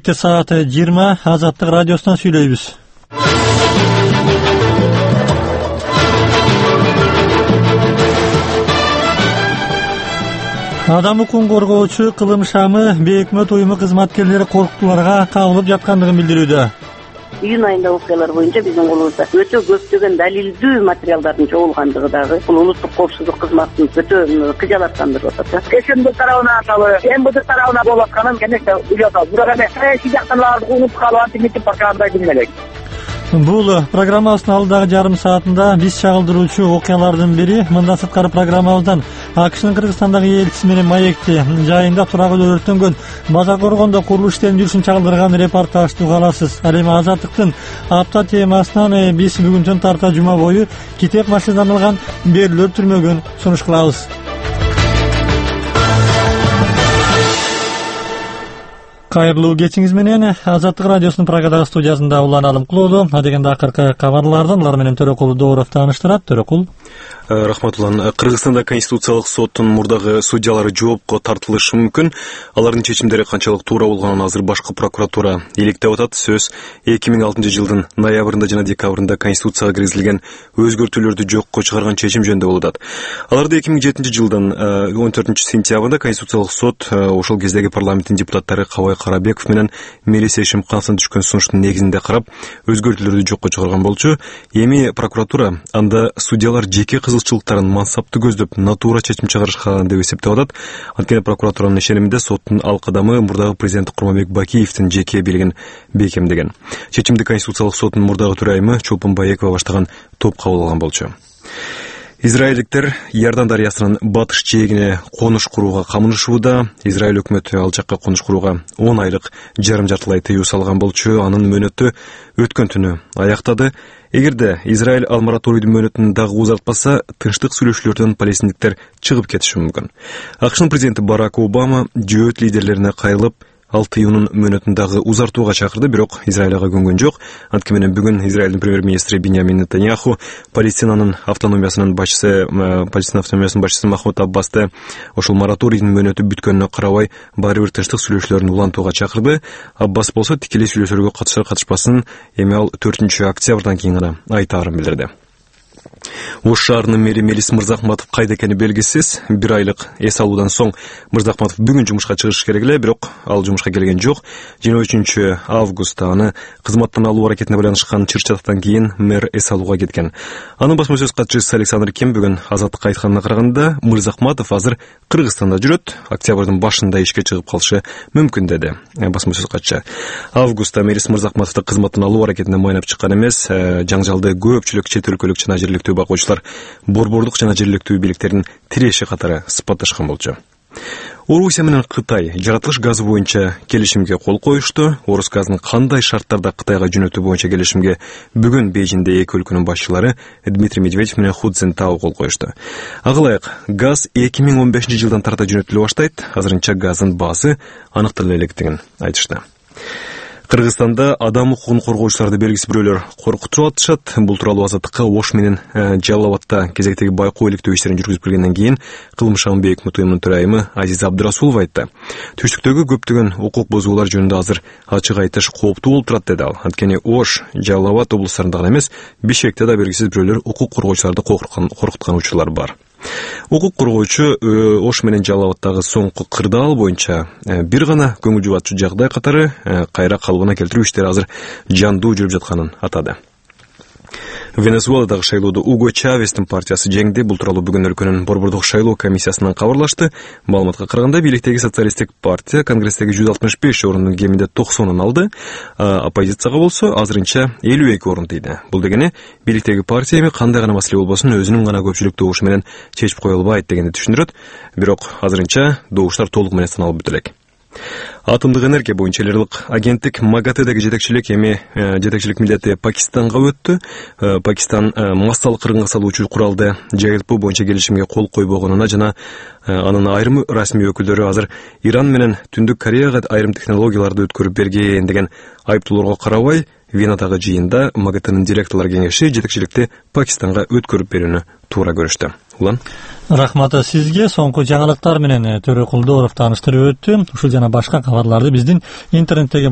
Кечте саат 20 Азаттык радиосунан сүйлөйбүз. Адам укугун коргоочу Кылым Шамы бейөкмөт уюму кызматкерлери коркутууларга кабылып жаткандыгын билдирүүдө. Июнь айында окуялар боюнча биздин колубузда өтө көптөгөн далилдүү материалдардын жоголгандыгы дагы бул улуттук коопсуздук кызматын өтө кыжалаттандырып атат. КСМД тарабынан аталы, МВД тарабынан болуп атканын конечно билип атабыз. Бирок эми саясий жактан аларды унутуп калып антимитинг программада билмелек. Бул программабыздын алдыдагы жарым саатында биз чагылдыруучу окуялардын бири мындан сырткары программабыздан АКШнын Кыргызстандагы элчиси менен маекти жайында туракүлөр өрттөнгөн база коргондо курулуш иштеринин жүрүшүн чагылдырган репортажды уга аласыз. Ал эми Азаттыктын апта темасынан биз бүгүнтөн тарта жума бою китеп машиналанган берүүлөр түрмөгүн сунуш кылабыз. Кайрылуу кечиңиз менен Азаттык радиосунун Прагадагы студиясында уланалым кылоодо. Адегенде акыркы кабарлардан улар менен Төрөкул Дооров тааныштырат. Төрөкул. Рахмат улан. Кыргызстанда Конституциялык соттун мурдагы судьялары жоопко тартылышы мүмкүн. Алардын чечимдери канчалык туура болгонун азыр башкы прокуратура иликтеп атат. Сөз 2006-жылдын ноябрында жана декабрында Конституцияга киргизилген өзгөртүүлөрдү жокко чыгарган чечим жөнүндө болуп атат. Аларды 2007-жылдын 14-сентябрында Конституциялык сот ошол кездеги парламенттин депутаттары Кабай Карабеков менен Мелис Эшимкановдун түшкөн сунуштун негизинде карап, өзгөртүүлөрдү жокко чыгарган болчу. Эми прокуратура анда судьялар жеке кызыкчылыктарын мансапты көздөп натуура чечим чыгарышкан деп эсептеп атат. Анткени прокуратуранын ишениминде соттун ал кадамы мурдагы президент Курманбек Бакиевдин жеке бийлигин бекемдеген. Чечимди Конституциялык соттун мурдагы төрайымы Чолпон Баекова баштаган топ кабыл алган болчу. Израилдиктер Иордан дарыясынын батыш жээгине конуш курууга камынышууда. Израиль өкмөтү ал жакка конуш курууга 10 айлык жарым-жартылай тыюу салган болчу. Анын мөөнөтү өткөн түнү аяктады. Эгерде Израиль ал мораторийдин мөөнөтүн дагы узартпаса, тынчтык сүйлөшүүлөрдөн палестиндиктер чыгып кетиши мүмкүн. АКШнын президенти Барак Обама жөөт лидерлерине кайрылып, ал тыюунун мөөнөтүн дагы узартууга чакырды, бирок Израиль ага көнгөн жок. Анткени менен бүгүн Израилдин премьер-министри Биньямин Нетаньяху Палестинанын автономиясынын башчысы Махмуд Аббасты ошол мораторийдин мөөнөтү бүткөнүнө карабай баары бир тынчтык сүйлөшүүлөрүн улантууга чакырды. Аббас болсо тикелей сүйлөшүүлөргө катышар катышпасын эми ал 4-октябрдан кийин гана айтаарын билдирди. Ош шаарынын мэри Мелис Мырзахматов кайда экени белгисиз. 1 айлык эс алуудан соң Мырзахматов бүгүн жумушка чыгыш керек эле, бирок ал жумушка келген жок. 23-августта аны кызматтан алуу аракетине байланышкан чыр-чатактан кийин мэр эс алууга кеткен. Анын басма сөз катчысы Александр Ким бүгүн Азаттыкка айтканына караганда, Мырзахматов азыр Кыргызстанда жүрөт, октябрдын башында ишке чыгып калышы мүмкүн деди басма сөз катчысы. Августта Мелис Мырзахматовду кызматтан алуу аракетине майнап чыккан эмес, жаңжалды көпчүлүк чет өлкөлүк жана жергиликтүү бакуучулар борбордук жана жергиликтүү бийликтердин тиреши катары сыпатташкан болчу. Орусия менен Кытай жаратылыш газы боюнча келишимге кол коюшту. Орус газын кандай шарттарда Кытайга жөнөтүү боюнча келишимге бүгүн Бейжиңде эки өлкөнүн башчылары Дмитрий Медведев менен Ху Цзинтао кол коюшту. Ага ылайык газ 2015-жылдан тарта жөнөтүлө баштайт. Азырынча газдын баасы аныктала электигин айтышты. Кыргызстанда адам укугун коргоочуларды белгисиз бирөөлөр коркутуп атышат. Бул тууралуу Азаттыкка Ош менен Жалал Абадта кезектеги байкоо иликтөө иштерин жүргүзүп келгенден кийин Кылым Шам бейөкмөт уюмунун төрайымы Азиза Абдырасулова айтты. Түштүктөгү көптөгөн укук бузуулар жөнүндө азыр ачык айтыш кооптуу болуп турат деди ал. Анткени Ош, Жалал Абад облустарында гана эмес, Бишкекте да белгисиз бирөөлөр укук коргоочуларды коркуткан учурлар бар. Укук коргоочу Ош менен Жалал Абадтагы соңку кырдаал боюнча бир гана көңүл жубатчу жагдай катары кайра калыбына келтирүү иштери азыр жандуу жүрүп жатканын атады. Венесуэладагы шайлоодо Уго Чавестин партиясы жеңди. Бул тууралуу бүгүн өлкөнүн борбордук шайлоо комиссиясынан кабарлашты. Маалыматка караганда бийликтеги социалисттик партия конгресстеги 165 орунун кеминде 90-ын алды. Оппозицияга болсо азырынча 52 орун тийди. Бул дегени бийликтеги партия эми кандай гана маселе болбосун өзүнүн гана көпчүлүк добушу менен чечип кое албайт дегенди түшүндүрөт. Бирок азырынча добуштар толук менен саналып бүтө элек. Атомдук энергия боюнча эл аралык агенттик МАГАТЭдеги жетекчилик милдети Пакистанга өттү. Пакистан массалык кыргынга салуучу куралды жайылтуу боюнча келишимге кол койбогонуна жана анын айрым расмий өкүлдөрү азыр Иран менен Түндүк Кореяга айрым технологияларды өткөрүп берген деген айыптоолорго карабай, Венадагы жыйында МАГАТЭнин директорлор кеңеши жетекчиликти Пакистанга өткөрүп берүүнү туура көрүштү. Улан. Рахмат сизге. Соңку жаңылыктар менен Төрөкул Дооров тааныштырып өттү. Ушул жана башка кабарларды биздин интернеттеги